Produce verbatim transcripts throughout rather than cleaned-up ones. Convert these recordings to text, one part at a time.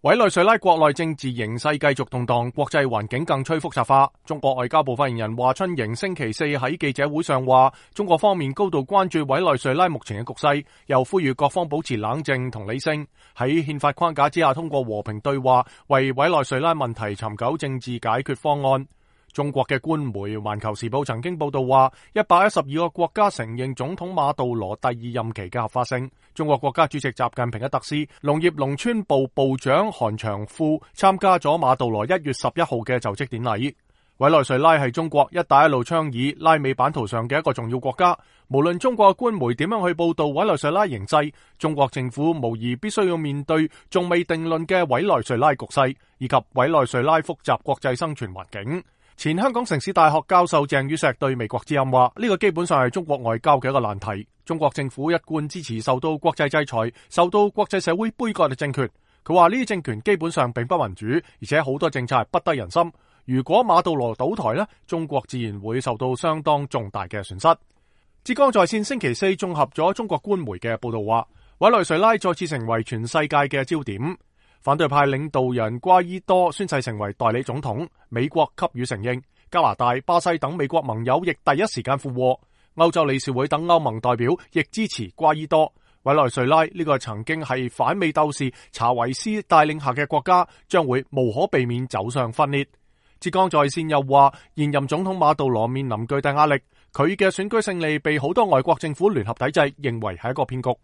委內瑞拉國內政治形勢繼續動盪，國際環境更趨複雜化。中國外交部發言人華春瑩星期四喺記者會上話，中國方面高度關注委內瑞拉目前嘅局勢，又呼籲各方保持冷靜同理性，喺憲法框架之下通過和平對話，為委內瑞拉問題尋求政治解決方案。中國嘅官媒《環球時報》曾經報道話，一百一十二個國家承認總統馬杜羅第二任期嘅合法性。中國國家主席習近平嘅特使、農業農村部部長韓長富參加咗馬杜羅一月十一號嘅就職典禮。委內瑞拉係中國一帶一路倡議拉美版圖上嘅一個重要國家。無論中國嘅官媒點樣去報道委內瑞拉形勢，中國政府無疑必須要面對仲未定論嘅委內瑞拉局勢，以及委內瑞拉複雜國際生存環境。前香港城市大學教授鄭宇碩對美國之音話，呢個基本上係中國外交嘅一個難題。中國政府一貫支持受到國際制裁、受到國際社會杯葛嘅政權。佢話呢啲政權基本上並不民主，而且好多政策係不得人心。如果馬杜羅倒台呢，中國自然會受到相當重大嘅損失。浙江在線星期四綜合咗中國官媒嘅報道話，委內瑞拉再次成為全世界嘅焦點。反對派領導人瓜伊多宣誓成為代理總統，美國給予承認，加拿大、巴西等美國盟友亦第一時間附和，歐洲理事會等歐盟代表亦支持瓜伊多。委內瑞拉呢個曾經係反美鬥士查維斯帶領下嘅國家，將會無可避免走上分裂。浙江在線又話，現任總統馬杜羅面臨巨大壓力，佢嘅選舉勝利被好多外國政府聯合抵制，認為係一個騙局。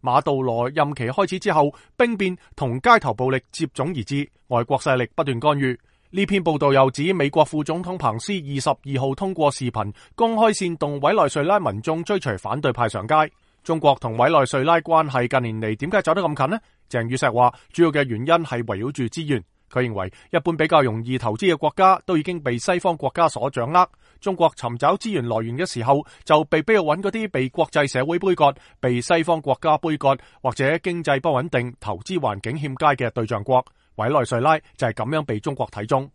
馬杜羅任期開始之後，兵變同街頭暴力接踵而至，外國勢力不斷干預。呢篇報道又指，美國副總統彭斯二十二號通過視頻公開煽動委內瑞拉民眾追隨反對派上街。中國同委內瑞拉關係近年嚟點解走得咁近呢？鄭宇碩話，主要嘅原因係圍繞住資源。佢認為一般比較容易投資嘅國家都已經被西方國家所掌握。中國尋找資源來源嘅時候，就被逼要揾嗰啲被國際社會杯葛、被西方國家杯葛或者經濟不穩定、投資環境欠佳嘅對象國。委內瑞拉就係咁樣被中國睇中。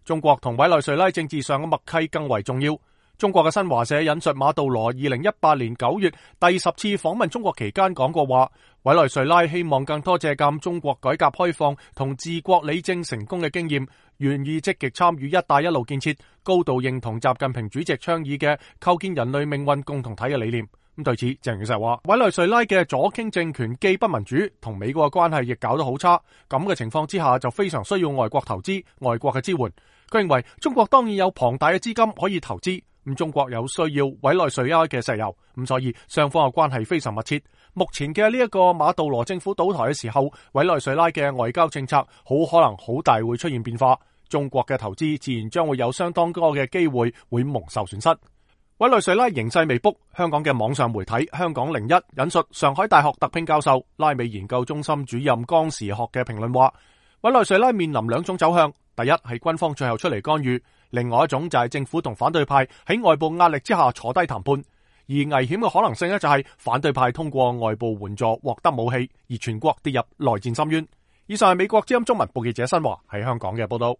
中國同委內瑞拉政治上嘅默契更為重要。中國嘅新華社引述馬杜羅二零一八年九月第十次訪問中國期間講過話，委內瑞拉希望更多借鑒中國改革開放同治國理政成功嘅經驗，願意積極參與一帶一路建設，高度認同習近平主席倡議嘅構建人類命運共同體嘅理念。咁對此，鄭宇碩話，委內瑞拉嘅左傾政權既不民主，同美國嘅關係亦搞得好差，咁嘅情況之下就非常需要外國投資、外國嘅支援。佢認為中國當然有龐大嘅資金可以投資。咁中國有需要委內瑞拉嘅石油，咁所以雙方嘅關係非常密切。目前嘅呢一個馬杜羅政府倒台嘅時候，委內瑞拉嘅外交政策好可能好大會出現變化，中國嘅投資自然將會有相當多嘅機會會蒙受損失。委內瑞拉形勢未卜，香港嘅網上媒體香港零一引述上海大學特聘教授、拉美研究中心主任江時學嘅評論話，委內瑞拉面臨兩種走向，第一係軍方最後出嚟干預，另外一種就係政府同反對派喺外部壓力之下坐低談判，而危險嘅可能性呢，就係反對派通過外部援助獲得武器，而全國跌入內戰深淵。以上係美國之音中文部記者新華喺香港嘅報道。